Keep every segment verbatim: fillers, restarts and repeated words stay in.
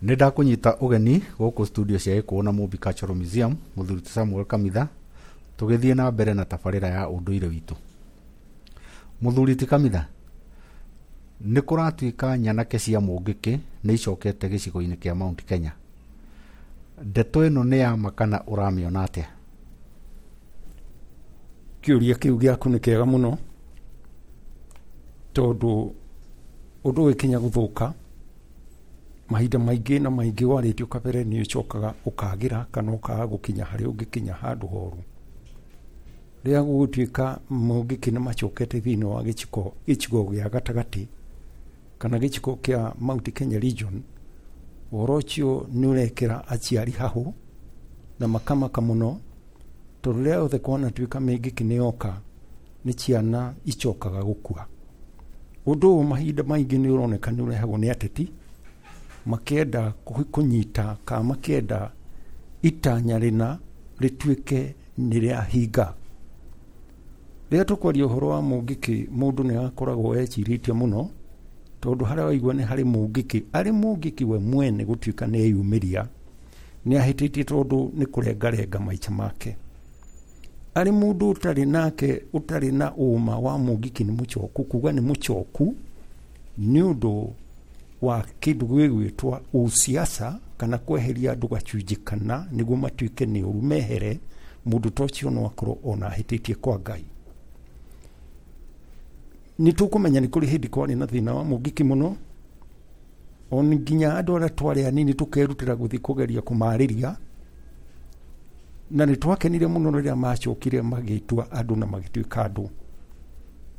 Nĩ ndakũnyita ũgeni gũkũ studio cia Gĩkũyũ na Mũmbi Cultural Museum, mũthuri ti Samuel Kamitha, tũgĩthiĩ na mbere na tabarĩra ya ũndũire witũ. Mũthuri ti Kamitha, nĩ kũratuĩka nyanake cia Mũngĩkĩ nĩ icokete gĩcigo-inĩ kĩa Mount Kenya. Ndeto ĩno nĩ ya ma kana ũramĩona atĩa? Kĩũria kĩu gĩaku nĩ kĩega mũno, tondũ ũndũ ũgĩkinya gũthũka mahinda maingĩ na maingĩ warĩtio kabere nĩ ũcokaga ũkagĩra kana ũkaga gũkinya harĩa ũngĩkinya handũ horu. Rĩrĩa gũgũtuĩka Mũngĩkĩ nĩ macokete thĩinĩ wa gĩcigo gĩcigo gĩa gatagatĩ kana gĩcigo kĩa Mount Kenya region, ũhoro ũcio nĩ ũrekĩra aciari hahũ na makamaka mũno, tondũ rĩrĩa yothe kwanatuĩka Mĩngĩkĩ nĩ yoka nĩ ciana icokaga gũkua. Ũndũ ũyũ mahinda maingĩ nĩ ũroneka nĩ ũrehagwo nĩ ateti makĩenda kũnyita kana makĩenda itanya rĩna rĩtuĩke nĩ rĩahinga. Rĩrĩa tũkwaria ũhoro wa Mũngĩkĩ, mũndũ nĩ akoragwo ecirĩtie mũno, tondũ harĩa waigua nĩ harĩ Mũngĩkĩ, arĩ Mũngĩkĩ we mwene gũtuĩka nĩ eyumĩria, nĩ ahĩtĩtie tondũ nĩ kũrengarenga maica make. Arĩ mũndũ ũtarĩ nake, ũtarĩ na ũma wa Mũngĩkĩ nĩ mũcoku, kuga nĩ mũcoku nĩ ũndũ wa kĩndũ gĩgwĩtwo ũsiasa kana kweheria andũ gacunjĩ kana nĩguo matuĩke nĩ ũru mehere, mũndũ ta ũcio no akorwo ona ahĩtĩtie kwa Ngai. Nĩ tũkũmenya nĩ kũrĩ hĩndĩ kwarĩ na thĩna wa Mũngĩkĩ mũno, ona nginya andũ arĩa twarĩ anini tũkerutĩra gũthiĩ kũgeria kũmarĩria, na nĩ twakenire mũno rĩrĩa macokire magĩtua andũ na magĩtuĩka andũ.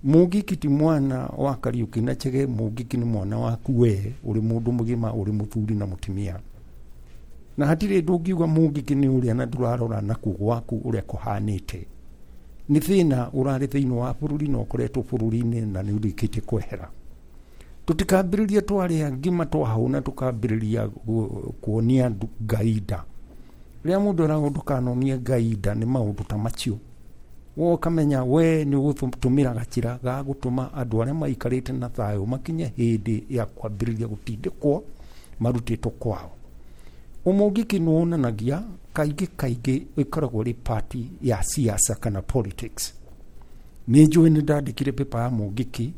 Mũngĩkĩ ti mwana wa Kariũki na Chege, Mũngĩkĩ nĩ mwana waku we ũrĩ mũndũ mũgima, ũrĩ mũthuri na mũtumia. Na hatirĩ ũndũ ũngiuga Mũngĩkĩ nĩ ũrĩa na ndũrarora nakuo gwaku ũrĩa kũhanĩte. Nĩ thĩna ũrarĩ thĩinĩ wa bũrũri na ũkoretwo bũrũri-inĩ na nĩ ũrĩkĩtie kwehera. Tũtikambĩrĩria twarĩa ngima twahũna tũkambĩrĩria kuonia Ngai nda. Rĩrĩa mũndũ eragwo ndũkanonie Ngai nda nĩ maũndũ ta macio. We ũkamenya we nĩ ũgũtũmĩra gacĩra ga gũtũma andũ arĩa maikarĩte na thayũ makinye hĩndĩ ya kwambĩrĩria gũtindĩkwo marutĩtwo kwao. Ũmũngĩkĩ nĩ wonanagia kaingĩ kaingĩ ĩkoragwo ĩrĩ part ya siasa kana politics. Nĩ njũĩ nĩ ndandĩkire paper ya Mũngĩkĩ,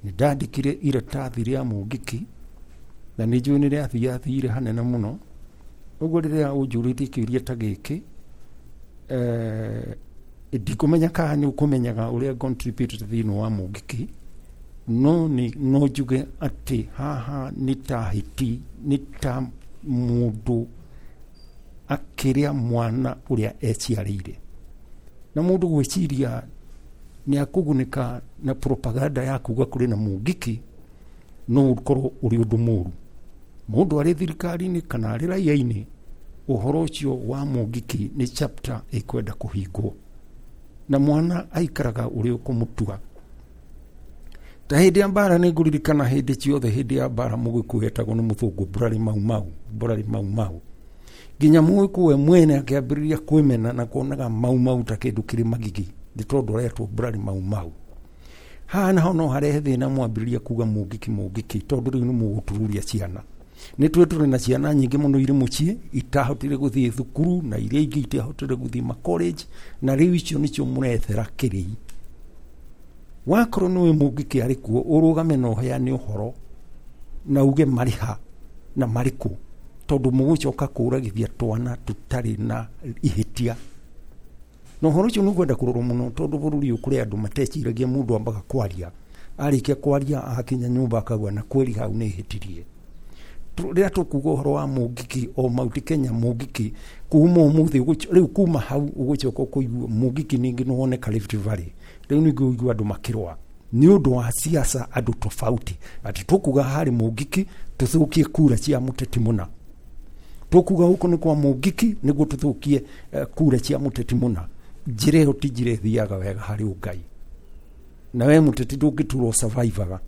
nĩ ndandĩkire iratathi rĩa Mũngĩkĩ, na nĩ njũĩ nĩ rĩathiathire hanene mũno. Ũguo rĩrĩa ũnjũrĩtie kĩũria ta gĩkĩ, eh, ndikũmenya kana nĩ ũkũmenyaga ũrĩa contributed thĩinĩ wa Mũngĩkĩ, no nĩ no njuge atĩ haha nĩ ta hiti, nĩ ta mũndũ akĩrĩa mwana ũrĩa eciarĩire. Na mũndũ gwĩciria nĩ akũgunĩka na propaganda ya kuga kũrĩ na Mũngĩkĩ, no ũkorwo ũrĩ ũndũ mũru. Mũndũ arĩ thirikari-inĩ kana arĩ raia-inĩ, ũhoro ũcio wa Mũngĩkĩ nĩ chapter ĩkwenda kũhingwo. Na mwana aikaraga ũrĩa ũkũmũtua. Ta hĩndĩ ya mbara nĩ ngũririkana hĩndĩ ciothe hĩndĩ ya mbara Mũgĩkũyũ etagwo nĩ mũthũngũ Mburari Mau Mau, Mburari Mau Mau. Nginya Mũgĩkũyũ we mwene akĩambĩrĩria kwĩmena na kuonaga Mau Mau ta kĩndũ kĩrĩ magigi, nĩ tondũ aretwo Mburari Mau Mau. Haha naho no harehe thĩna mwambĩrĩria kuga Mũngĩkĩ Mũngĩkĩ, tondũ rĩu nĩ mũgũtururia ciana. Nĩ twĩ tũrĩ na ciana nyingĩ mũno irĩ mũciĩ itahotire gũthiĩ thukuru na iria ingĩ itiahotire gũthiĩ ma college, na rĩu icio nĩcio mũrethera kĩrĩi. Wakorwo nĩwe Mũngĩkĩ arĩ kuo, ũrũgame na ũheane ũhoro na uge marĩ ha na marĩ kũ, tondũ mũgũcoka kũragithia twana tũtarĩ na ihĩtia. Na ũhoro ũcio nĩ ũkwenda kũrorwo mũno, tondũ bũrũri ũyũ kũrĩ andũ mateciragia mũndũ ambaga kwaria, arĩkia kwaria akinya nyũmba akauga na kweri hau nĩ hĩtirie. Rĩrĩa tũkuga ũhoro wa Mũngĩkĩ o Mount Kenya Mũngĩkĩ kuma ũmũthĩ rĩu kuma hau ũgũcoka ũkũigua Mũngĩkĩ ningĩ nĩ woneka Rift Valley, rĩu ningĩ ũigua andũ makĩrũa nĩ ũndũ wa siasa, andũ tofauti atĩ tũkuga harĩ Mũngĩkĩ tũthũkie kura cia mũteti mũna, tũkuga gũkũ nĩ kwa Mũngĩkĩ nĩguo tũthũkie kura cia mũteti mũna. Njĩra ĩyo ti njĩra ĩthiaga wega harĩ ũngai, na we mũteti ndũngĩtura ũsurvivaga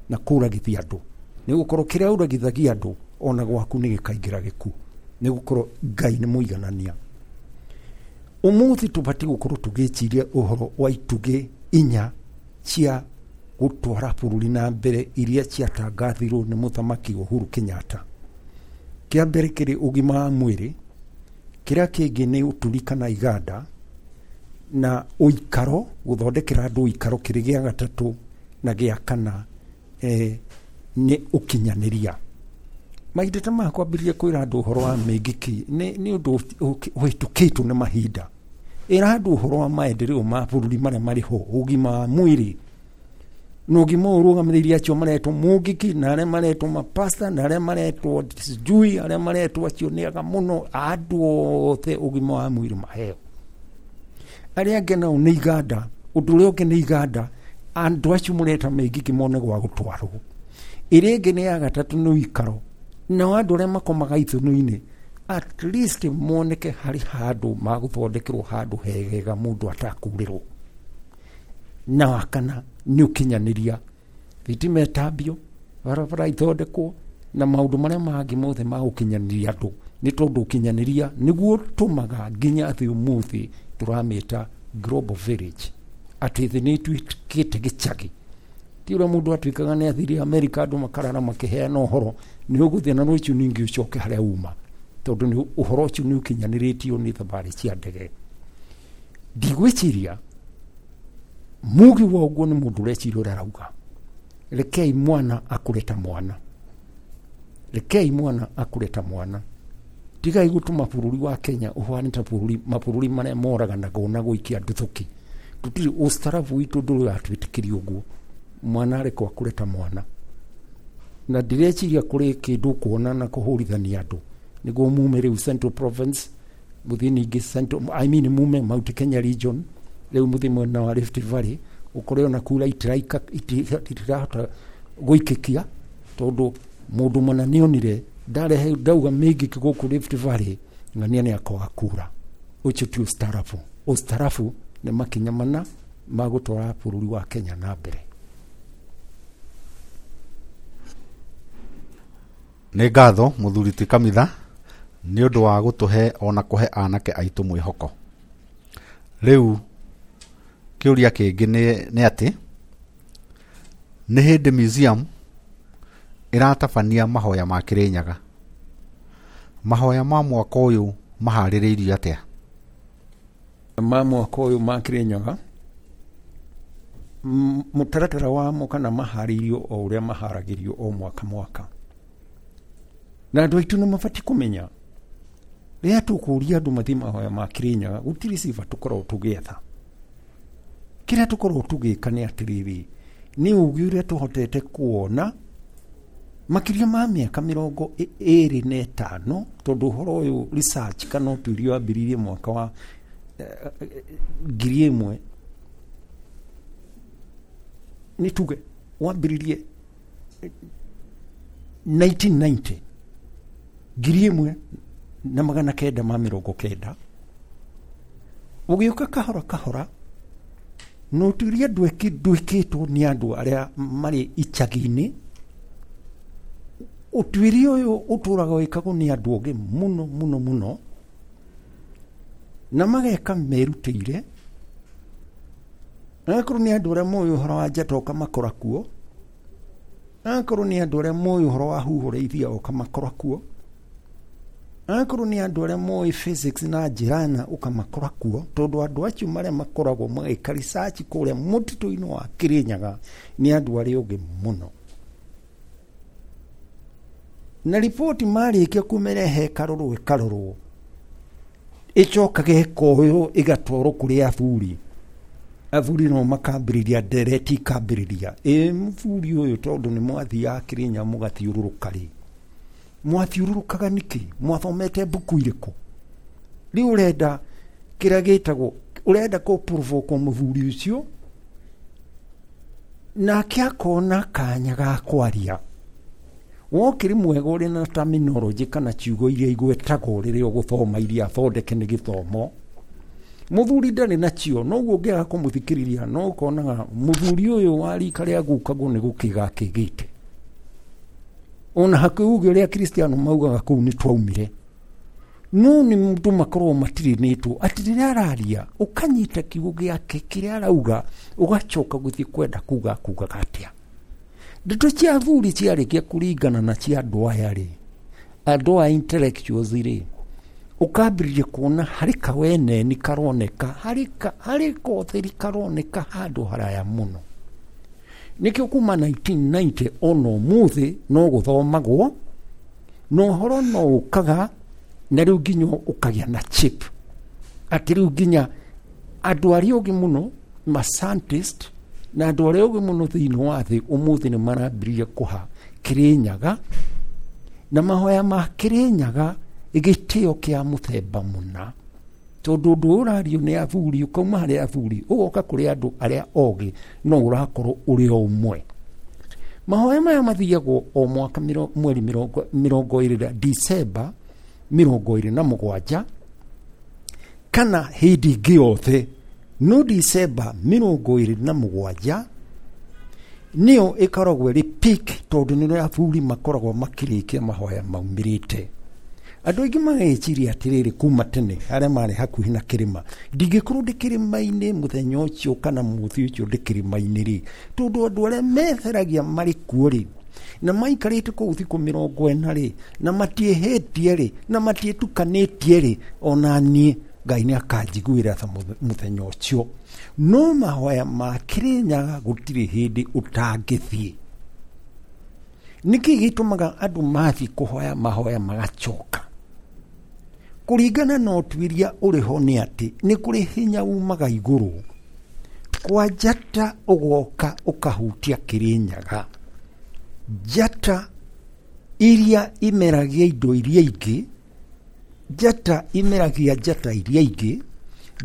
na kũragithia andũ, nĩ gũkorwo kĩrĩa ũragithagia andũ ona gwaku nĩ gĩkaingĩra gĩkuũ, nĩ gũkorwo Ngai nĩ mũiganania. Ũmũthĩ tũbatiĩ gũkorwo tũgĩciria ũhoro wa itugĩ inya cia gũtwara bũrũri na mbere iria ciatangathirwo nĩ mũthamaki Uhuru Kenyatta. Kĩa mbere kĩrĩ ũgima wa mwĩrĩ, kĩrĩa kĩngĩ nĩ ũturi kana iganda, na ũikaro, gũthondekera andũ ũikaro kĩrĩ gĩa gatatũ, na gĩa kana eh, nĩ ũkinyanĩria. Mahinda ta maya kwambĩrĩria kwĩra andũ ũhoro wa mĩngĩki nĩ nĩ ũndũ ũhĩtũkĩtwo nĩ mahinda. Ĩra andũ ũhoro wa maendeleo ma bũrũri marĩa marĩ ho, ũgima wa mwĩrĩ na ũgima ũyũ ũrũgamĩrĩire acio maretwo mũngĩki na arĩa maretwo mapasta na arĩa maretwo sijui arĩa maretwo acio nĩ aga mũno, andũ othe ũgima wa mwĩrĩ maheo. Arĩa angĩ nao nĩ iganda, ũndũ ũrĩa ũngĩ nĩ iganda, andũ acio mũreta mĩngĩki mone gwa gũtwarwo. Ĩrĩa ĩngĩ nĩ ya gatatũ nĩ ũikaro, nao andũ arĩa makomaga ithũnũ-inĩ at least moneke harĩ handũ magũthondekerwo handũ hegega mũndũ atakurĩrwo. Na wa kana nĩ ũkinyanĩria, thitima ĩtambio, barabara ithondekwo, na maũndũ marĩa mangĩ mothe ma gũkinyanĩria andũ, nĩ tondũ ũkinyanĩria nĩguo ũtũmaga nginya thĩ ũmũthĩ tũramĩta global village, atĩ thĩ nĩ ĩtuĩkĩte gĩcagi. Ti ũrĩa mũndũ atuĩkaga nĩ athire Amerika andũ makarara makĩheana ũhoro, nĩ ũgũthiĩ na rũciũ ningĩ ũcoke harĩa uma, tondũ nĩ ũhoro ũcio nĩ ũkinyanĩrĩtio nĩ thabarĩ cia ndege. Ndigwĩciria mugi wa ũguo nĩ mũndũ ũreciria ũrĩa arauga. Rekei mwana akũre ta mwana, rekei mwana akũre ta mwana. Tigai gũtũma bũrũri wa Kenya ũhane ta bũrũri mabũrũri marĩa moraganagwo na gũikia nduthũki. Tũtirĩ ũstarabu witũ ndũrĩ watwĩtĩkĩria ũguo. Mwana arekwo akũre ta mwana. Na ndireciria kũrĩ kĩndũ kuona na kũhũrithania andũ nĩguo mume rĩu Central Province mũthiĩ ningĩ Central, I mean mume Mount Kenya region, rĩu mũthiĩ mwena wa Rift Valley, ũkore ona kura itiraika itirahota gũikĩkia, tondũ mũndũ mũna nĩonire ndarehe ndauga mĩngĩki gũkũ Rift Valley ng'ania nĩ akoga kura. Ũcio ti ũstarabu. Ũstarabu nĩ makinya mana ma gũtwara bũrũri wa Kenya na mbere. Nĩ ngatho mũthuri ti Kamitha nĩ ũndũ wa gũtũhe ona kũhe anake aitũ mwĩhoko. Rĩu kĩũria kĩngĩ nĩ nĩ atĩ nĩ hĩndĩ museum ĩratabania mahoya ma Kĩrĩnyaga. Mahoya ma mwaka ũyũ maharĩrĩirio atĩa? Ma mwaka ũyũ ma Kĩrĩnyaga mũtaratara wamo kana maharĩirio o ũrĩa maharagĩrio o mwaka mwaka. Na andũ aitũ nĩ mabatiĩ kũmenya rĩrĩa tũkũria andũ mathiĩ mahoya ma Kĩrĩnyaga gũtirĩ ciba tũkoragwo tũgĩetha. Kĩrĩa tũkoragwo tũgĩka nĩ atĩrĩrĩ, nĩ ũgĩ ũrĩa tũhotete kuona makĩria ma mĩaka mĩrongo ĩrĩ na ĩtano, tondũ ũhoro ũyũ research kana ũtuĩria wambĩrĩirie mwaka wa ngiri ĩmwe nĩ tuge wambĩrĩirie nineteen ninety, ngiri ĩmwe na magana kenda ma mĩrongo kenda, ũgĩũka kahora kahora na ũtuĩria ndwĩkĩtwo nĩ andũ arĩa marĩ icagi-inĩ. Ũtuĩria ũyũ ũtũraga wĩkagwo nĩ andũ ogĩ mũno mũno mũno, na mageka merutĩire. Akorwo nĩ andũ arĩa moĩ ũhoro wa njata ũkamakora kuo, akorwo nĩ andũ arĩa moĩ ũhoro wa huho rĩithia ũkamakora kuo, akorwo nĩ andũ arĩa moĩ physics na njĩra na ũkamakora kuo, tondũ andũ acio marĩa makoragwo magĩka research kũrĩa mũtitũ-inĩ wa Kĩrĩnyaga nĩ andũ arĩa ogĩ mũno. Na riboti marĩkia kũmĩrehe ĩkarorwo ĩkarorwo, ĩcokaga ĩkoywo ĩgatwarwo kũrĩ athuri. Athuri no makambĩrĩria ndereti ikambĩrĩria, ĩ mũthuri ũyũ tondũ nĩ mwathiaga Kĩrĩnyaga mũgathiũrũrũka rĩ, mwathiũrũrũkaga nĩkĩ? Mwathomete mbuku irĩkũ? Rĩu ũrenda kĩrĩa gĩtagwo, ũrenda kũ provoke mũthuri ũcio nake akona kanya ga kwaria. Wokĩrĩ mwega ũrĩ na terminology kana ciugo iria igwetagwo rĩrĩa ũgũthoma iria thondeke nĩ gĩthomo. Mũthuri ndarĩ nacio, noguo ũngĩaga kũmũthikĩrĩria no ũkonaga mũthuri ũyũ wa rika rĩa gukagwo nĩ gũkĩga akĩgĩte. Ona hakuhĩ uge ũrĩa Kristiano maugaga kũu nĩ twaumire, no nĩ mũndũ makorwo matirinĩtwo atĩ rĩrĩa araria ũkanyita kiugo gĩake kĩrĩa arauga, ũgacoka gũthiĩ kwenda kuga kugaga atĩa. Ndeto cia athuri ciarĩkia kũringana na cia andũ aya rĩ, Andũ a intellectuals rĩ, ũkambĩrĩria kuona harĩ kaweneni karoneka, harĩ ka, harĩ kotheri karoneka handũ haraya mũno. Nĩkĩo kuma nineteen ninety ona ũmũthĩ no gũthomagwo, na ũhoro no ũkaga, na rĩu nginya ũkagĩa na chip. Atĩ rĩu nginya andũ arĩa ogĩ mũno, ma scientist, na andũ arĩa ogĩ mũno thĩinĩ wa thĩ ũmũthĩ nĩ marambĩrĩria kũha Kĩrĩnyaga, na mahoya ma Kĩrĩnyaga gĩtĩo kĩa mũthemba mũna. Tondũ ũndũ ũyũ ũrario nĩ athuri, ũkauma harĩ athuri, ũgoka kũrĩ andũ arĩa ogĩ, no ũrakorwo ũrĩ o ũmwe. Mahoya maya mathiagwo o mwaka mĩro-, mweri mĩrongo, mĩrongo ĩrĩ na December mĩrongo ĩrĩ na mũgwanja, kana hĩndĩ ĩngĩ yothe, no December mĩrongo ĩrĩ na mũgwanja nĩyo ĩkoragwo ĩrĩ peak, tondũ nĩrĩo athuri makoragwo makĩrĩkia mahoya maumĩrĩte. Andũ aingĩ mageciria atĩrĩrĩ kuma tene arĩa marĩ hakuhĩ na kĩrĩma, ndingĩkorwo ndĩ kĩrĩma-inĩ mũthenya ũcio kana mũthĩ ũcio ndĩ kĩrĩma-inĩ rĩ, tondũ andũ arĩa metheragia marĩ kuo rĩ, na maikarĩte kũu thikũ mĩrongo ĩna rĩ, na matiĩhĩtie rĩ, na matiĩtukanĩtie rĩ, ona niĩ Ngai nĩ akanjiguĩra tha mũthenya ũcio. No mahoya ma Kĩrĩnyaga gũtirĩ hĩndĩ ũtangĩthiĩ. Nĩkĩ gĩtũmaga andũ mathiĩ kũhoya mahoya magacoka? Kũringana na ũtuĩria ũrĩ ho nĩ atĩ nĩ kũrĩ hinya umaga igũrũ kwa njata ũgoka ũkahutia Kĩrĩnyaga. Njata iria imeragia indo iria ingĩ, njata imeragia njata iria ingĩ,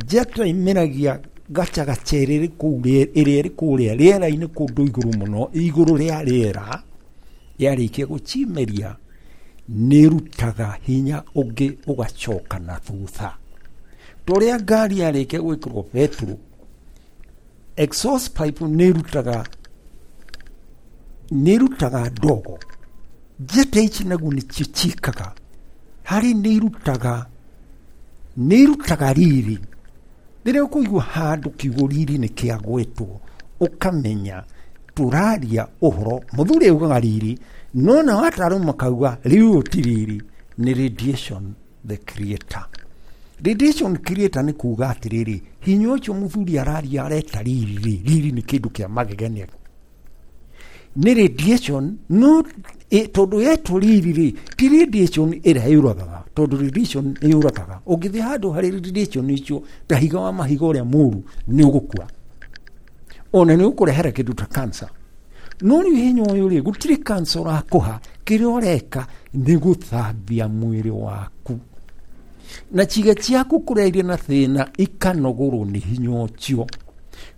njata imeragia gacagaca ĩrĩa ĩrĩ kũu ĩrĩa ĩrĩ kũrĩa rĩera-inĩ kũndũ igũrũ mũno, igũrũ rĩa rĩera, yarĩkia gũcimeria nĩrutaga hinya ũngĩ ũgacoka na thutha. Torĩa ngari yarĩkia gwĩkĩrwo betũrũ, exhaust pipe nĩrutaga, nĩrutaga ndogo. Njata ici naguo nĩcio ciĩkaga, harĩ nĩirutaga, nĩirutaga riri. Rĩrĩa ũkũigua handũ kiugo riri nĩ kĩagwetwo, ũkamenya tũraria ũhoro. Mũthuri augaga riri, no nao ataaramu makauga rĩu ti riri, nĩ radiation the creator. Radiation creator nĩ kuga atĩrĩrĩ, hinya ũcio mũthuri araria areta riri rĩ, riri nĩ kĩndũ kĩa magegania. Nĩ radiation, no e, tondũ yetwo riri rĩ, ti radiation ĩrĩa yũragaga, tondũ radiation nĩ yũragaga. Ũngĩthiĩ handũ harĩ radiation icio, ta higa wa mahiga ũrĩa mũru, nĩ ũgũkua. Ona nĩ ũkũrehera kĩndũ ta cancer. No rĩu hinya ũyũ rĩ, gũtirĩ cancer ũrakũha, kĩrĩa ũreka nĩ gũthambia mwĩrĩ waku. Na ciĩga ciaku kũrĩa irĩ na thĩna ikanogorwo nĩ hinya ũcio.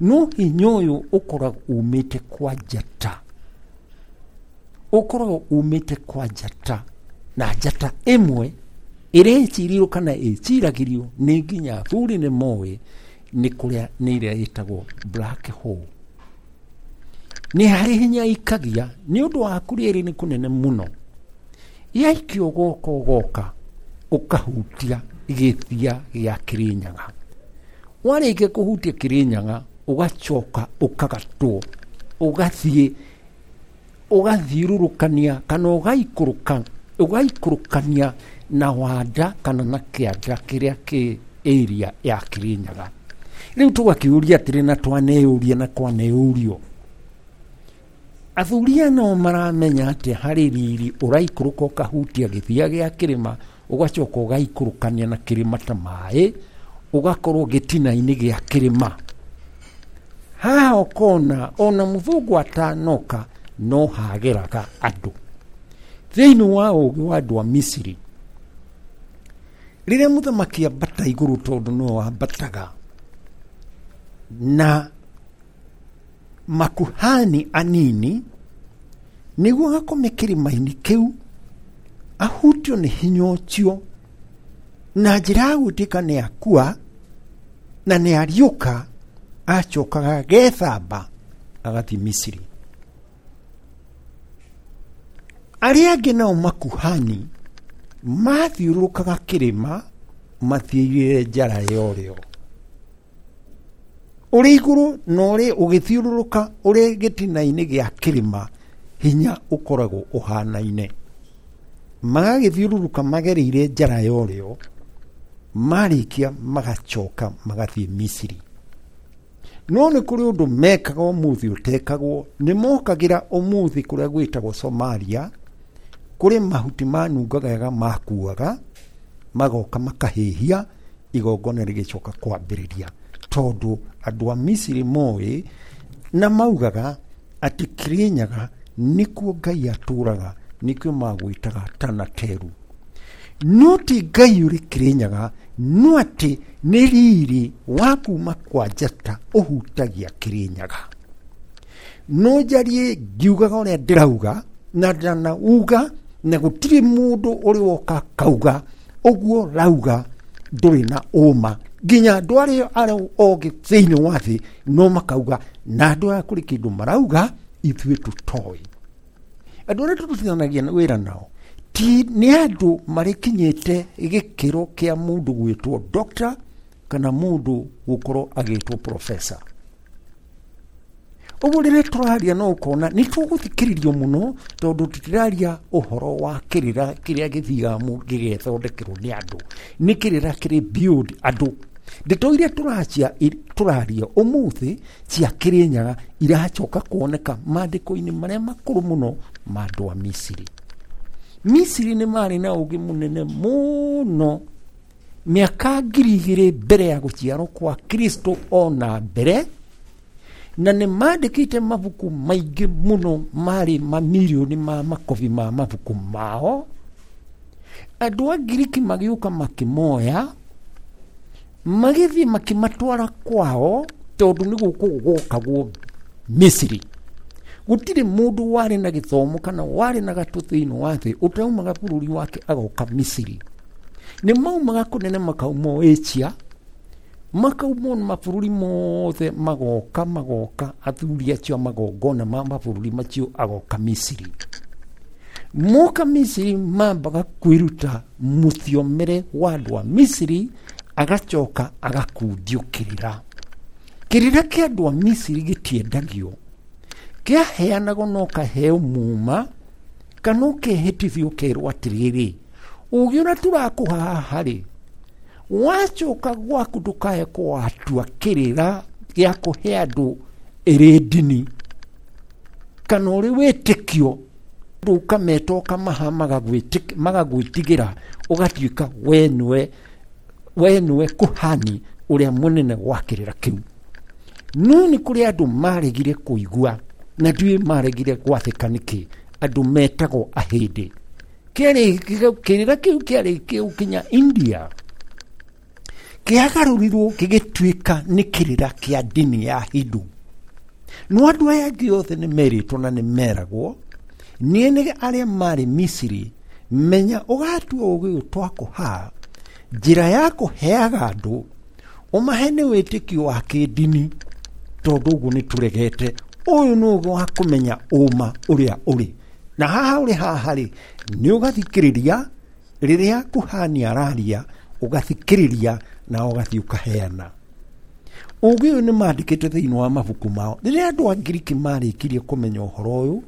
No hinya ũyũ ũkoragwo umĩte kwa njata. Ũkoragwo umĩte kwa njata. Na njata ĩmwe ĩrĩa ĩcirirwo kana ĩciragĩrio nĩ nginya athuri nĩ moĩ nĩ kũrĩa nĩ ĩrĩa ĩtagwo black hole. Nĩ harĩ hinya ikagia nĩ ũndũ wa kũrĩa ĩrĩ nĩ kũnene mũno. Yaikio ũgoka ũgoka ũkahutia gĩthia gĩa Kĩrĩnyaga. Warĩkia kũhutia Kĩrĩnyaga ũgacoka ũkagatwo, ũgathiĩ ũgathiũrũrũkania kana ũgaikũrũka, ũgaikũrũkania na wanda kana na kĩanda kĩrĩa kĩ area ya Kĩrĩnyaga. Rĩu tũgakĩũria atĩrĩ na twaneyũria na kwaneyũrio, athuri aya no maramenya atĩ harĩ riri ũraikũrũka ũkahutia gĩthia gĩa kĩrĩma, ũgacoka ũgaikũrũkania na kĩrĩma ta maĩ, ũgakorwo gĩtina-inĩ gĩa kĩrĩma. Haha ũkona ona mũthũngũ atanoka no hageraga andũ. Thĩinĩ wa ũgĩ wa andũ a Misiri, rĩrĩa mũthamaki ambata igũrũ tondũ no ambataga na makuhani anini, nĩguo akome kĩrĩma-inĩ kĩu ahutio nĩ hinya ũcio, na njĩra ya gwĩtĩka nĩ akua na nĩ ariũka, acokaga agethamba agathiĩ Misiri. Arĩa angĩ nao makuhani mathiũrũrũkaga kĩrĩma mathiĩrĩre njara ya ũrĩo. Ũrĩ igũrũ na ũrĩ ũgĩthiũrũrũka ũrĩ gĩtina-inĩ gĩa kĩrĩma, hinya ũkoragwo ũhanaine. Magagĩthiũrũrũka magereire njara ya ũrĩo, marĩkia magacoka magathiĩ Misiri. No nĩ kũrĩ ũndũ mekaga ũmũthĩ ũtekagwo, nĩ mokagĩra ũmũthĩ kũrĩa gwĩtagwo Somalia, kũrĩ mahuti manungaga wega makuaga, magoka makahĩhia, igongona rĩgĩcoka kwambĩrĩria. Tondũ andũ a Misiri moĩ na maugaga atĩ Kĩrĩnyaga nĩkuo Ngai atũraga, nĩkĩo magwĩtaga Tanateru. No ti Ngai ũrĩ Kĩrĩnyaga, no atĩ nĩ riri wa kuma kwa njata ũhutagia Kĩrĩnyaga. No njarie ngiugaga ũrĩa ndĩrauga na ndanauga, na gũtirĩ mũndũ ũrĩ woka akauga ũguo rauga ndũrĩ na ũma. Nginya andũ arĩa arĩa ogĩ thĩinĩ wa thĩ no makauga, na andũ aya kũrĩ kĩndũ marauga ithuĩ tũtoĩ. Andũ arĩa tũrutithanagia wĩra nao ti nĩ andũ marĩkinyĩte gĩkĩro kĩa mũndũ gwĩtwo doctor kana mũndũ gũkorwo agĩtwo professor. Ũguo rĩrĩa tũraria no ũkona nĩ tũgũthikĩrĩrio mũno, tondũ tũtiraria ũhoro wa kĩrĩra kĩrĩa gĩthiaga gĩgethondekerwo nĩ andũ. Nĩ kĩrĩra kĩrĩ build andũ. Ndeto iria tũracia tũraria ũmũthĩ cia Kĩrĩnyaga iracoka kuoneka maandĩko-inĩ marĩa makũrũ mũno ma andũ a Misiri. Misiri nĩ marĩ na ũgĩ mũnene mũno mĩaka ngiri igĩrĩ mbere ya gũciarwo kwa Kristo ona mbere, na nĩ mandĩkĩte mabuku maingĩ mũno, marĩ mamirioni ma makobi ma mabuku mao. Andũ a Ngiriki magĩũka makĩmoya, magĩthiĩ makĩmatwara kwao, tondũ nĩ gũkũ gwokagwo Misiri. Gũtirĩ mũndũ warĩ na gĩthomo kana warĩ na gatũ thĩinĩ wa thĩ ũtaumaga bũrũri wake agoka Misiri. Nĩ maumaga kũnene makauma Asia, makauma mabũrũri mothe, magoka magoka athuri acio magongona ma mabũrũri macio agoka Misiri. Moka Misiri mambaga kwĩruta mũthiomere wa andũ a Misiri, agacoka agakundio kĩrĩra. Kĩrĩra kĩa andũ a Misiri gĩtiendagio, kĩaheanagwo no kaheo muma kana ũkehĩtithio ũkerwo atĩrĩrĩ, ũgĩ ũrĩa tũrakũha haha rĩ, wacoka gwaku ndũkae kũwatua kĩrĩra gĩa kũhe andũ ĩrĩ ndini kana ũrĩ wĩtĩkio, ũkameta ũkamaha magagwĩtigĩra, ũgatuĩka we nĩwe we nĩwe kuhani ũrĩa mũnene wa kĩrĩra kĩu. No nĩ kũrĩ andũ maregire kũigua na ndiũĩ maregire gwathĩka nĩkĩ, andũ metagwo ahĩndĩ. Kĩrĩra kĩu kĩarĩ kĩu India, kĩagarũrirwo gĩgĩtuĩka nĩ kĩrĩra kĩa ndini ya Hindu. No andũ aya angĩ othe nĩ merĩtwo na nĩ meragwo niĩ nĩ arĩa marĩ Misiri, menya ũgatua ũgĩ ũyũ twakũha njĩra ya kũheaga andũ ũmahe nĩ wĩtĩkio wa kĩndini, tondũ ũguo nĩ tũregete. Ũyũ nĩ ũgĩ wa kũmenya ũma ũrĩa ũrĩ na haha ũrĩ haha rĩ, nĩ ũgathikĩrĩria rĩrĩa kuhani araria, ũgathikĩrĩria na ũgathiĩ ũkaheana. Ũgĩ ũyũ nĩ mandĩkĩte thĩinĩ wa mabuku mao. Rĩrĩa andũ a Ngiriki marĩkirie kũmenya ũhoro ũyũ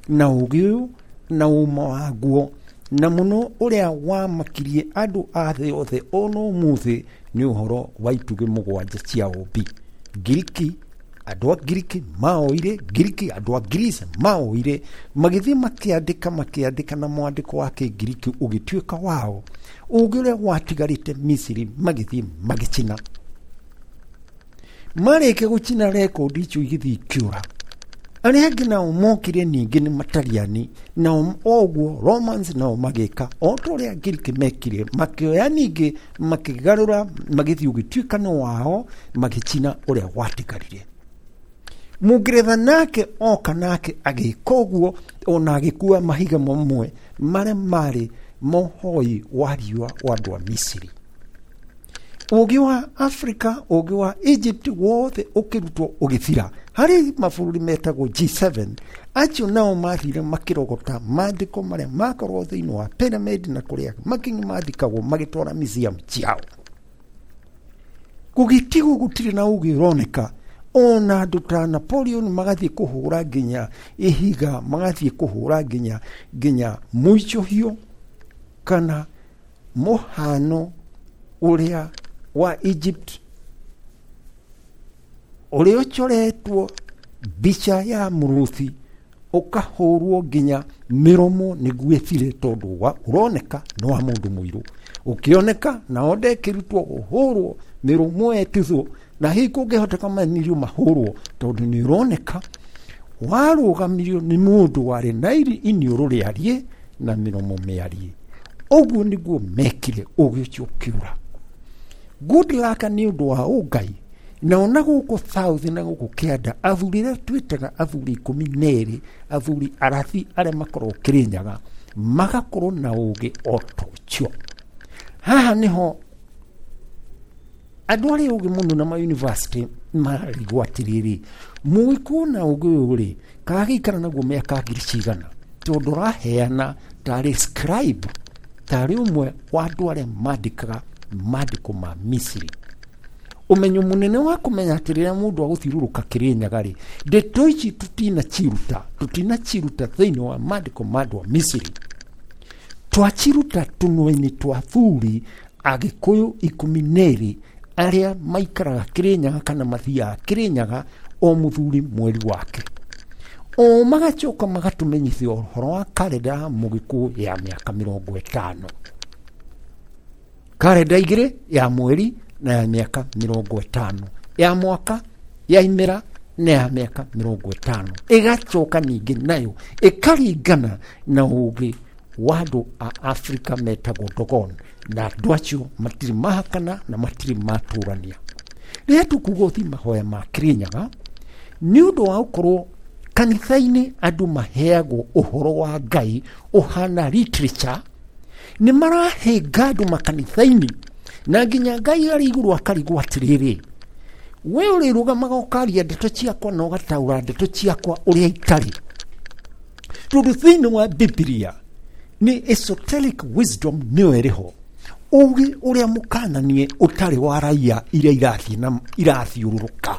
na ũgĩ ũyũ na ũma waguo, na mũno ũrĩa wamakirie andũ a thĩ yothe ona ũmũthĩ nĩ ũhoro wa itugĩ mũgwanja cia ũmbi. Ngiriki, andũ a Ngiriki maoire, Ngiriki andũ a Greece maoire, magĩthiĩ makĩandĩka makĩandĩka na mwandĩko wa Kĩngiriki ũgĩtuĩka wao. Ũgĩ ũrĩa watigarĩte Misiri magĩthiĩ magĩcina. Marĩkia gũcina rekondi icio igĩthiĩ ikĩũra. Arĩa angĩ nao mokire ningĩ nĩ Matariani, nao oguo Romans nao magĩka o ta ũrĩa Ngiriki mekire, makĩoya ningĩ makĩgarũra magĩthiĩ ũgĩtuĩka nĩ wao, magĩcina ũrĩa watigarire. Mũngeretha nake oka nake agĩka ũguo, ona agĩkua mahiga mamwe marĩa marĩ mohoi wa riũa wa andũ a Misiri. Ũgĩ wa Afrika, ũgĩ wa Egypt wothe ũkĩrutwo ũgĩthira. Harĩ mabũrũri metagwo G seven, acio nao mathire makĩrogota maandĩko marĩa makorwo thĩinĩ wa pyramid na kũrĩa makinyi mathikagwo magĩtwara museum ciao. Gũgĩtigwo gũtirĩ na ũgĩ ũroneka. Ona andũ ta Napoleon magathiĩ kũhũra nginya ihiga, magathiĩ kũhũra nginya nginya mũicũhio Kana mũhano ũrĩa wa Egypt ũrĩa ũcoretwo mbica ya mũrũthi ũkahũrwo nginya mĩromo nĩguo ĩthire tondũ wa ũroneka nĩ wa mũndũ mũirũ ũkĩoneka nao ndekĩrutwo ũhũrwo mĩromo ĩtithwo na hihi kũngĩhoteka manirio mahũrwo tondũ nĩ ũroneka warũgamirio nĩ mũndũ warĩ na iniũrũ rĩariĩ na mĩromo mĩariĩ. Ũguo nĩguo mekire ũgĩ ũcio ũkĩũra. Good luck nĩ ũndũ wa ũngai na ona gũkũ South na gũkũ kĩanda athuri arĩa twĩtaga athuri ikũmi na erĩ athuri arathi arĩa makoragwo Kĩrĩnyaga magakorwo na ũgĩ o ta ũcio. Haha nĩho andũ arĩa ũgĩ mũno na ma university mararigwo atĩrĩrĩ, mũgĩkũyũ na ũgĩ ũyũ rĩ kagĩikara naguo mĩaka ngiri cigana tondũ ũraheana tarĩ scribe tarĩ ũmwe wa andũ arĩa mandĩkaga mandĩko ma Misiri. Ũmenyo mũnene wa kũmenya atĩ rĩrĩa mũndũ agũthiũrũrũka Kĩrĩnyaga rĩ ndeto ici tutinaciruta tutinaciruta thĩinĩ wa mandĩko ma andũ a Misiri, twaciruta tũnua-inĩ twa athuri Agĩkũyũ ikũmi na erĩ arĩa maikaraga Kĩrĩnyaga kana mathiaga Kĩrĩnyaga o mũthuri mweri wake. O magacoka magatũmenyithia ũhoro wa karenda ya mũgĩkũyũ ya mĩaka mĩrongo ĩtano, karenda igĩrĩ ya mweri na ya mĩaka mĩrongo ĩtano, ya mwaka ya imera na ya mĩaka mĩrongo ĩtano. Ĩgacoka ningĩ nayo ĩkaringana na ũgĩ wa andũ a Afrika metagwo Dogon, na andũ acio matirĩ mahakana na matirĩ matũrania. Rĩrĩa tũkuga ũthiĩ mahoya ma Kĩrĩnyaga nĩ ũndũ wa gũkorwo kanitha-inĩ andũ maheagwo ũhoro wa Ngai ũhana literature, nĩ marahĩnga andũ makanitha-inĩ na nginya Ngai arĩ igũrũ akarigwo atĩrĩrĩ, we ũrĩrũgamaga ũkaria ndeto ciakwa na ũgataũra ndeto ciakwa ũrĩa itarĩ. Tondũ thĩinĩ wa Bibilia nĩ esoteric wisdom nĩyo ĩrĩho, ũgĩ ũrĩa mũkananie ũtarĩ wa raia iria irathiĩ na irathiũrũrũka.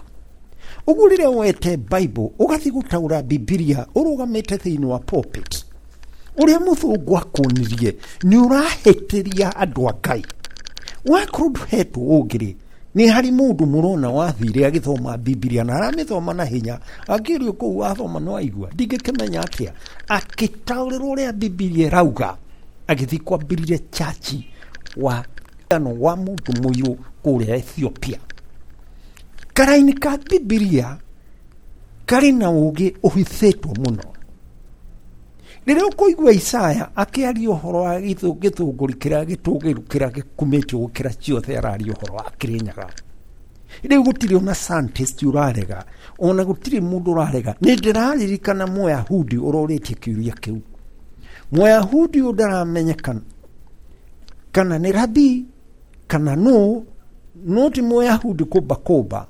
Ũguo rĩrĩa woete Bible ũgathiĩ gũtaũra Bibilia ũrũgamĩte thĩinĩ wa pulpit ũrĩa mũthũngũ akuonirie nĩ ũrahĩtĩria andũ a Ngai. Wakorwo ndũhetwo ũngĩ rĩ, nĩ harĩ mũndũ mũrona wathire agĩthoma Bibilia na aramĩthoma na hinya akĩũrio kũu wathoma no aigua ndingĩkĩmenya atĩa, akĩtaũrĩrwo ũrĩa Bibilia ĩrauga agĩthiĩ kwambĩrĩria chachi wa ano wa mũndũ mũirũ kũrĩa Ethiopia. Karaini ka Bibilia karĩ na ũgĩ ũhithĩtwo mũno. Rĩrĩa ũkũigua Isaya akĩaria ũhoro wa gĩthũngũri kĩrĩa gĩtũgĩru kĩrĩa gĩkumĩtio gũkĩra ciothe, araria ũhoro wa Kĩrĩnyaga. Rĩu gũtirĩ ona scientist ũrarega, ona gũtirĩ mũndũ ũrarega. Nĩ ndĩraririkana Mũyahudi ũrorĩtie kĩũria kĩu. Mũyahudi ũyũ ndaramenyekana kana nĩ rabi kana nũ, no ti Mũyahudi kũmba kũmba.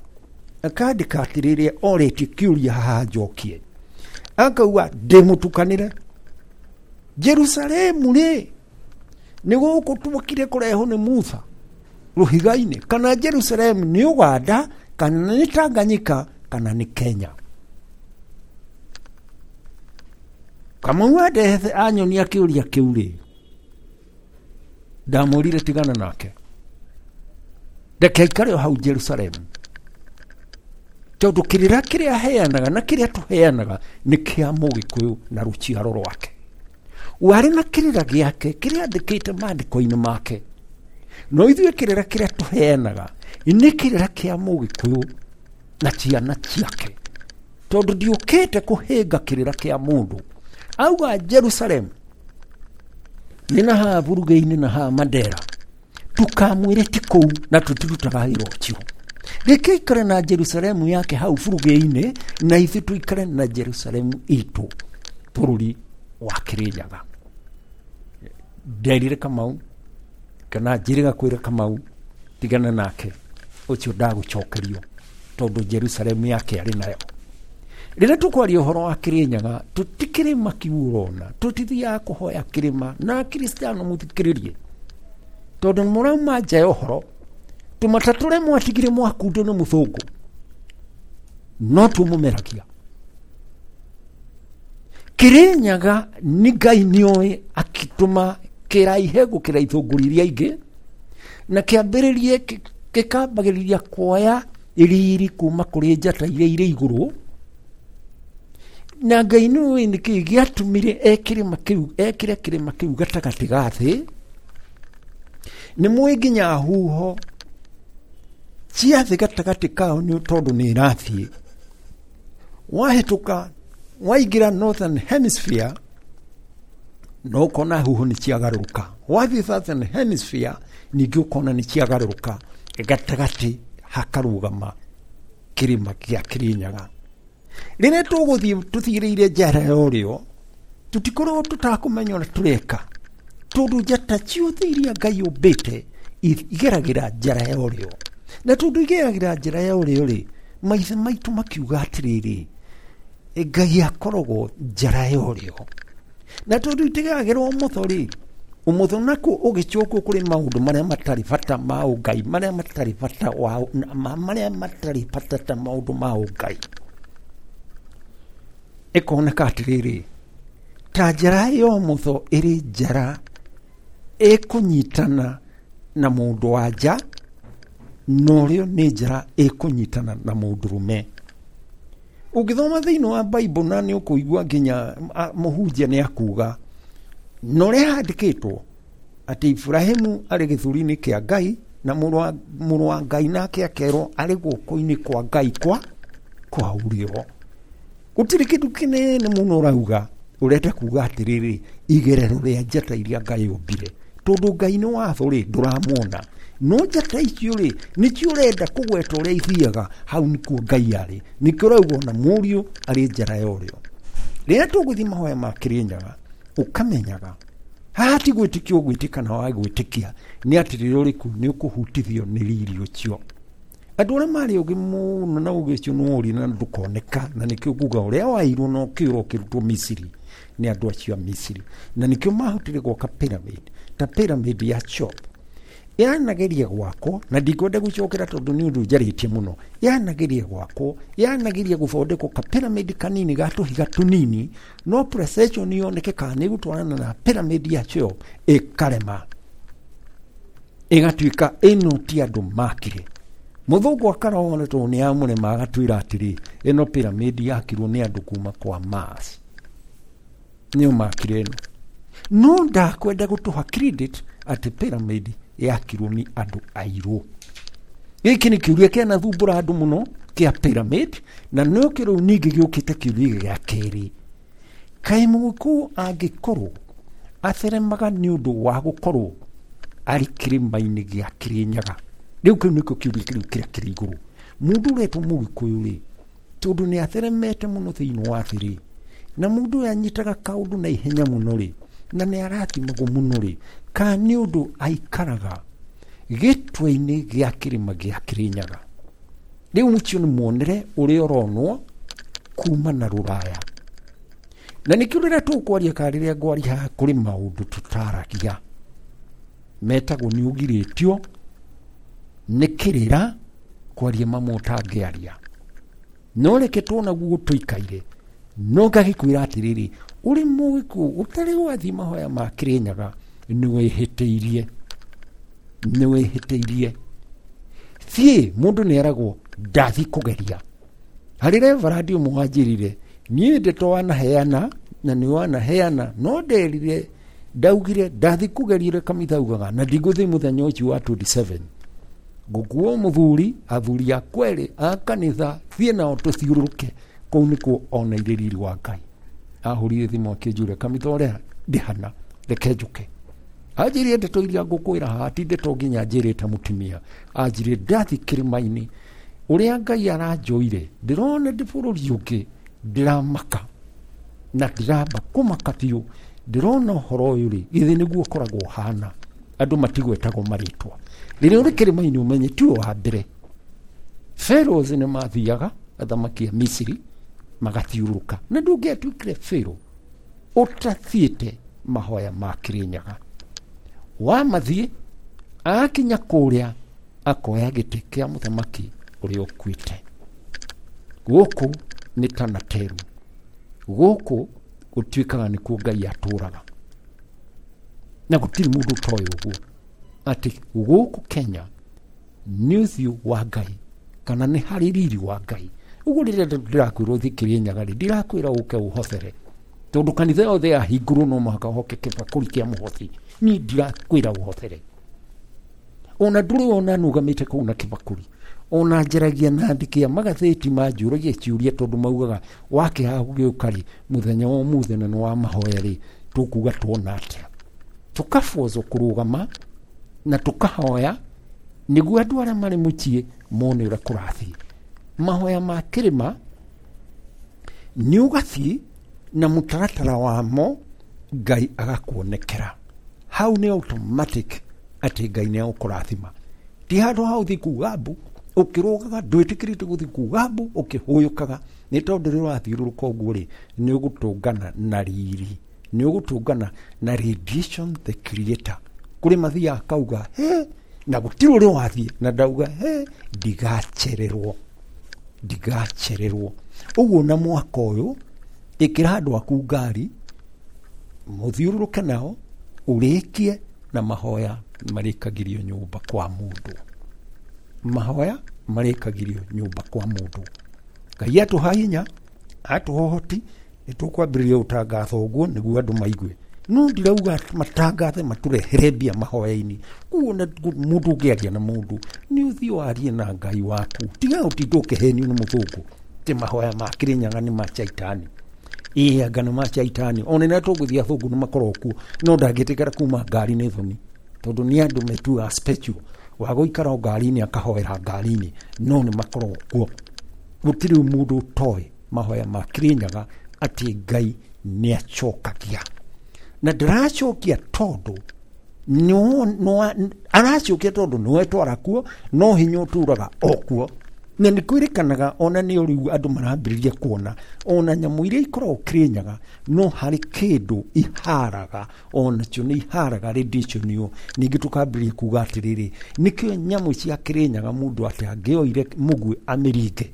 Akandĩka atĩrĩrĩ orĩtie kĩũria haha njokie, akauga ndĩmũtukanĩre Jerusalemu rĩ nĩ gũkũ tuokire kũrehwo nĩ Musa rũhiga-inĩ, kana Jerusalemu nĩ Uganda kana nĩ Tanganyika kana nĩ Kenya. Kamau andehethe anyonia kĩũria kĩu rĩ, ndamwĩrire tigana nake, reke aikare o hau Jerusalemu, tondũ kĩrĩra kĩrĩa aheanaga na kĩrĩa tũheanaga nĩ kĩa Mũgĩkũyũ na rũciaro rwake. Warĩ na kĩrĩra gĩake kĩrĩa andĩkĩte maandĩko-inĩ make, no ithuĩ kĩrĩra kĩrĩa tũheanaga nĩ kĩrĩra kĩa Mũgĩkũyũ na ciana ciake, tondũ ndiũkĩte kũhĩnga kĩrĩra kĩa mũndũ. Auga Jerusalemu nĩ na haha Burugĩ-inĩ na haha Mandera, tukamwĩre ti kũu na tũtirutaga wĩra ũcio. Reke aikare na Jerusalemu yake hau Burugĩ-inĩ na ithuĩ tũikare na Jerusalemu itũ bũrũri wa Kĩrĩnyaga. Nderire Kamau kana njĩrĩga kwĩra Kamau tigana nake ũcio ndagũcokerio tondũ Jerusalemu yake arĩ nayo. Rĩrĩa tũkwaria ũhoro wa Kĩrĩnyaga tũtikĩrĩma kiu ũrona, tũtithiaga kũhoya kĩrĩma na Akristiano mũthikĩrĩrie, tondũ mũrauma nja ya ũhoro. Tũmata tũrĩa mwatigire mwakundo nĩ mũthũngũ no tũmũmeragia. Kĩrĩnyaga nĩ Ngai nĩoĩ akĩtũma Kĩraihe gũkĩra ithũngũri iria ingĩ, na kĩambĩrĩrie gĩkambagĩrĩria kuoya riri kuma kũrĩ njata iria irĩ igũrũ. Na Ngai nĩũĩ nĩkĩĩ gĩatũmire ekĩrĩma kĩu, ekĩre kĩrĩma kĩu gatagatĩ ga thĩ. Nĩ mũĩ nginya huho cia thĩ gatagatĩ kao nĩ tondũ nĩ ĩrathiĩ. Wahĩtũka waingĩra Northern Hemisphere no ũkona huho nĩ ciagarũrũka. Wathiĩ Southern Hemisphere ningĩ ũkona nĩ ciagarũrũka, gatagatĩ hakarũgama kĩrĩma kĩa Kĩrĩnyaga. Rĩrĩa tũgũthiĩ tũthirĩire njara ya ũrĩo, tũtikoragwo tũtakũmenya ũrĩa tũreka, tondũ njata ciothe iria Ngai ũmbĩte igeragĩra njara ya ũrĩo. Na tondũ igeragĩra njara ya ũrĩo rĩ, maithe maitũ makiuga atĩrĩrĩ, Ngai akoragwo njara ya ũrĩo. Na tondũ itigeragĩra ũmotho rĩ, ũmotho nakuo ũgĩcokwo kũrĩ maũndũ marĩa matarĩ bata ma ũngai, marĩa matarĩ bata wa, marĩa matarĩ bata ta maũndũ ma ũngai. Ĩkoneka atĩrĩrĩ, ta njara ya ũmotho ĩrĩ njara ĩkũnyitana na mũndũ wa nja, na ũrĩo nĩ njara ĩkũnyitana na mũndũrũme. Ũngĩthoma thĩinĩ wa Bible na nĩ ũkũigua nginya mũhunjia nĩ akuga, na ũrĩa handĩkĩtwo atĩ Ibrahimu arĩ gĩthũri-inĩ kĩa Ngai na mũrũ wa Ngai nake akerwo arĩ guoko-inĩ kwa Ngai kwa kwa ũrĩo. Gũtirĩ kĩndũ kĩnene mũno ũrauga, ũrenda kuga atĩrĩrĩ, igerero rĩa njata iria Ngai ombire, tondũ Ngai nĩ watho rĩ, ndũramuona, no njata icio rĩ nĩcio ũrenda kũgweta ũrĩa ithiaga, hau nĩkuo Ngai arĩ. Nĩkĩo ũrauga ona mũriũ arĩ njara ya ũrĩo. Rĩrĩa tũgũthiĩ mahoya ma Kĩrĩnyaga, ũkamenyaga haha ti gwĩtĩkia ũgwĩtĩka na wa gwĩtĩkia, nĩ atĩ rĩrĩa ũrĩ kũu nĩ ũkũhutithio nĩ riri ũcio. Andũ arĩa marĩ ũgĩ mũno na ũgĩ ũcio nĩ worire na ndũkoneka, na nĩkĩo nguga ũrĩa wairwo na ũkĩũra ũkĩrutwo Misiri nĩ andũ acio a Misiri, na nĩkĩo mahotire gwaka pyramid ta pyramid ya Chop. Yanageria gwakwo, na ndikwenda gũcokera tondũ nĩ ũndũ njarĩtie mũno. Yanageria gwakwo, yanageria gũthondekwo ka pyramid kanini ga tũhiga tũnini, no precession yoneke kana nĩ ĩgũtwarana na pyramid ya Chop, ĩkarema, ĩgatuĩka ĩno ti andũ makire. Mũthũngũ akarona tondũ nĩ amũrema, agatwĩra atĩrĩ, ĩno pyramid yakirwo nĩ andũ kuma kwa Mars, nĩo makire ĩno. No ndakwenda gũtũha credit atĩ pyramid yakirwo nĩ andũ airũ. Gĩkĩ nĩ kĩũria kĩanathumbũra andũ mũno kĩa pyramid, na no kĩrĩu ningĩ gĩũkĩte kĩũria gĩa kerĩ. Kaĩ mũgĩkũyũ angĩkorwo atheremaga nĩ ũndũ wa gũkorwo arĩ kĩrĩma-inĩ gĩa Kĩrĩnyaga? Rĩu kĩu nĩkĩo kĩũria kĩrĩu kĩrĩa kĩrĩ igũrũ. Mũndũ ũretwo mũgĩkũyũ rĩ, tondũ nĩ atheremete mũno thĩinĩ wa thĩ rĩ, na mũndũ ũyũ anyitaga kaũndũ na ihenya mũno rĩ, na nĩ arathimagwo mũno rĩ, kana nĩ ũndũ aikaraga gĩtwe-inĩ gĩa kĩrĩma gĩa Kĩrĩnyaga? Rĩu ũcio nĩ muonere ũrĩa ũronwo kuma na rũraya. Na nĩkĩo rĩrĩa tũkwaria kana rĩrĩa ngwaria haha kũrĩ maũndũ tũtaragia metagwo nĩ ũgirĩtio nĩ kĩrĩra kwaria mamwe ũtangĩaria. No reke tuona guo tũikaire, no ngagĩkwĩra atĩrĩrĩ, ũrĩ mũgĩkũyũ ũtarĩ wathiĩ mahoya ma Kĩrĩnyaga, nĩ wĩhĩtĩirie, nĩ wĩhĩtĩirie. Thiĩ, mũndũ nĩ eragwo ndathiĩ kũgeria. Harĩ reverend ũmwe wanjĩrire, niĩ ndeto wanaheana na nĩ wanaheana, no nderire, ndaugire ndathiĩ kũgeria ũrĩa kanitha ugaga, na ndigũthiĩ mũthenya ũcio wa twenty-seven. Ngũkuo mũthuri, athuri a kwerĩ a kanitha, thiĩ nao tũthiũrũrũke. Kũu nĩkuo oneire riri wa Ngai. Ahũrire thimũ akĩnjũria kanitha ũrĩa ndĩhana, reke njũke. Anjĩrire ndeto iria ngũkwĩra haha ti ndeto nginya njĩrĩte mũtumia. Anjĩrire ndathiĩ kĩrĩma-inĩ, ũrĩa Ngai aranjoire, ndĩrona ndĩ bũrũri ũngĩ, ndĩramaka na ndĩramba kũmaka biũ. Ndĩrona ũhoro ũyũ rĩ, githĩ nĩguo ũkoragwo ũhana. Andũ matigwetagwo marĩtwa. Rĩrĩa ũrĩ kĩrĩma-inĩ ũmenye tiwe wa mbere. Pharaohs nĩ mathiaga, athamaki a Misiri, magathiũrũrũka. Na ndũngĩatuĩkire Pharaoh ũtathiĩte mahoya ma Kĩrĩnyaga. Wamathiĩ, akinya kũrĩa, akoya gĩtĩ kĩa mũthamaki ũrĩa ũkuĩte. Gũkũ nĩ ta Nateru. Gũkũ gũtuĩkaga nĩkuo Ngai atũraga. Na gũtirĩ mũndũ ũtoĩ ũguo atĩ gũkũ Kenya nĩ ũthiũ wa Ngai kana nĩ harĩ riri wa Ngai. Ũguo rĩrĩa ndĩrakwĩra ũthiĩ Kĩrĩnyaga rĩ, ndirakwĩra ũke ũhothere, tondũ kanitha yothe yahingũrwo no mũhaka ũhoke kĩbakũri kĩa mũhothi. Niĩ ndirakwĩra ũhothere, ona ndũrĩ wona nũgamĩte kũu na kĩbakũri, ona njaragia na andĩki a magathĩti manjũragia ciũria, tondũ maugaga wakĩhaha gũgĩũka rĩ, mũthenya wa ũmũthĩ na nĩ wa mahoya rĩ, tũkuga tuona atĩa? Tũkabocwo kũrũgama na tũkahoya nĩguo andũ arĩa marĩ mũciĩ mone ũrĩa kũrathiĩ. Mahoya ma kĩrĩma nĩ ũgathiĩ na mũtaratara wamo, Ngai agakuonekera hau. Nĩ automatic atĩ Ngai nĩ agũkũrathima. Ti handũ ha ũthiĩ kuga mbu ũkĩrũgaga, ndwĩtĩkĩrĩte gũthiĩ kuga mbu ũkĩhũyũkaga, nĩ tondũ rĩrĩa ũrathiũrũrũka ũguo rĩ, nĩ ũgũtũngana na riri, nĩ ũgũtũngana na radiation the creator. Kũrĩ mathiaga akauga he, na gũtirĩ ũrĩa wathiĩ na ndauga he, ndigacererwo, ndigacererwo. Ũguo na mwaka ũyũ ĩkĩra andũ aku ngari mũthiũrũrũke nao, ũrĩkie na mahoya marĩkagĩrio nyũmba kwa mũndũ. Mahoya marĩkagĩrio nyũmba kwa mũndũ. Ngai atũha hinya, atũha ũhoti, nĩ tũkwambĩrĩria gũtangatha ũguo nĩguo andũ maigue. No ndirauga matangathe matũrehere mbia mahoya-inĩ. Koguo na mũndũ ũngĩaria na mũndũ nĩ ũthiĩ warie na Ngai waku, tiga ũtinde ũkĩhenio nĩ mũthũngũ atĩ mahoya ma Kĩrĩnyaga nĩ ma caitani. Ĩĩ anga nĩ ma caitani. Ona rĩrĩa tũgũthiĩ athũngũ nĩ makoragwo kuo, no ndangĩtĩkĩra kuma ngari nĩ thoni, tondũ nĩ andũ metuaga special wa gũikara o ngari-inĩ akahoera ngari-inĩ, no nĩ makoragwo kuo. Gũtirĩ mũndũ ũtoĩ mahoya ma Kĩrĩnyaga atĩ Ngai nĩ acokagia, na ndĩracokia tondũ aracokia tondũ nĩwe twara kuo, no hinya ũtũraga o kuo. Na nĩ kwĩrĩkanaga ona nĩ rĩu andũ marambĩrĩria kuona ona nyamũ iria ikoragwo Kĩrĩnyaga no harĩ kĩndũ iharaga, onakĩo nĩ iharaga radiation ĩyo. Ningĩ tũkambĩrĩria kuga atĩrĩrĩ, nĩkĩo nyamũ cia Kĩrĩnyaga mũndũ atĩ angĩoire mũguĩ amĩringe,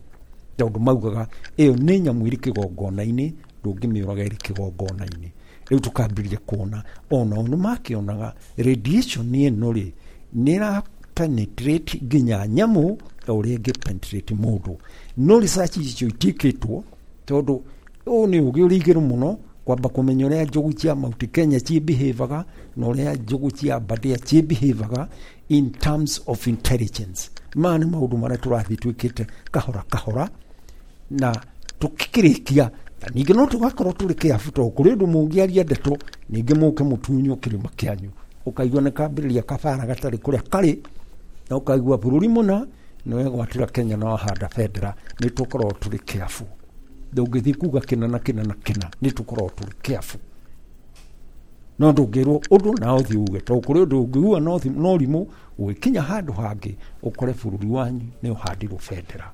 tondũ maugaga ĩyo nĩ nyamũ ĩrĩ kĩgongona-inĩ, ndũngĩmĩũraga ĩrĩ kĩgongona-inĩ. Rĩu tũkambĩrĩria kuona onao nĩ makĩonaga radiation ĩno rĩ nĩ ĩra penetrate nginya nyamũ o ũrĩa ĩngĩ penetrate mũndũ. No research icio itiĩkĩtwo, tondũ ũyũ nĩ ũgĩ ũrĩ igũrũ mũno kwamba kũmenya ũrĩa njogu cia Mount Kenya ciĩbehavaga na ũrĩa njogu cia Aberdare ciĩbehavaga in terms of intelligence. Maya nĩ maũndũ marĩa tũrathiĩ twĩkĩte kahora kahora na tũkĩrĩkia, na ningĩ no tũgakorwo tũrĩ kĩabu, tondũ kũrĩ ũndũ mũngĩaria ndeto ningĩ mũke mũtunywo kĩrĩma kĩanyu, ũkaigua nĩ kambĩrĩria kabara gatarĩ kũrĩa karĩ, na ũkaigua bũrũri mũna nĩ wegwatĩra Kenya na wahanda bendera. Nĩ tũkoragwo tũrĩ kĩabu, ndũngĩthiĩ kuga kĩna na kĩna na kĩna, nĩ tũkoragwo tũrĩ kĩabu. No ndũngĩrwo ũndũ na ũthiĩ uge, tondũ kũrĩ ũndũ ũngĩuga no rimũ, ũgĩkinya handũ hangĩ ũkore bũrũri wanyu nĩ ũhandirwo bendera.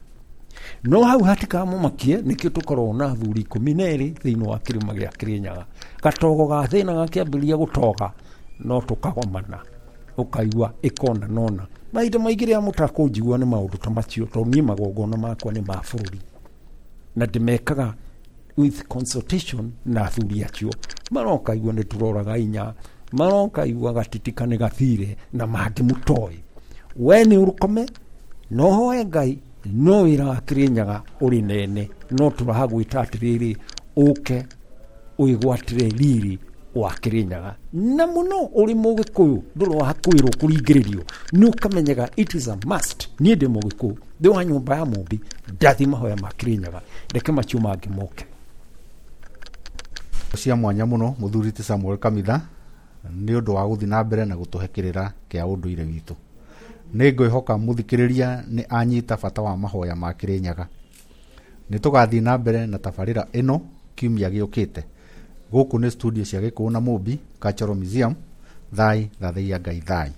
No hau hatikamũmakie, nĩkĩo tũkoragwo na athuri ikũmi na erĩ thĩinĩ wa kĩrĩma gĩa Kĩrĩnyaga. Gatogo ga thĩna gakĩambĩrĩria gũtoga no tũkagomana, ũkaigua ĩkona nona. Mahinda maingĩ rĩrĩa mũtakũnjigua nĩ maũndũ ta macio, tondũ niĩ magongona makwa nĩ ma bũrũri na ndĩmekaga with consultation na athuri acio. Marokaigua nĩ tũroraga inya, marokaigua gatitika nĩ gathire na mangĩ mũtoĩ. We nĩ ũrũkome no hoe Ngai, no wĩra wa Kĩrĩnyaga ũrĩ nene, no tũragwĩta atĩrĩrĩ, ũke wĩgwatĩre riri wa Kĩrĩnyaga. Na mũno ũrĩ mũgĩkũyũ ndũrĩ wa kwĩrwo kũringĩrĩrio, nĩ ũkamenyaga it is a must. Niĩ ndĩ mũgĩkũyũ, ndĩ wa nyũmba ya Mũmbi, ndathiĩ mahoya ma Kĩrĩnyaga, reke macio mangĩ moke. Cia mwanya mũno mũthuri ti Samuel Kamitha nĩ ũndũ wa gũthiĩ na mbere na gũtũhe kĩrĩra kĩa ũndũire witũ. Nĩ ngwĩhoka mũthikĩrĩria nĩ anyita bata wa mahoya ma Kĩrĩnyaga. Nĩ tũgathiĩ na mbere na tabarĩra ĩno kiumia gĩũkĩte. Gũkũ nĩ studio cia Gĩkũyũ na Mũmbi Cultural Museum. Thai thathaiya Ngai thai.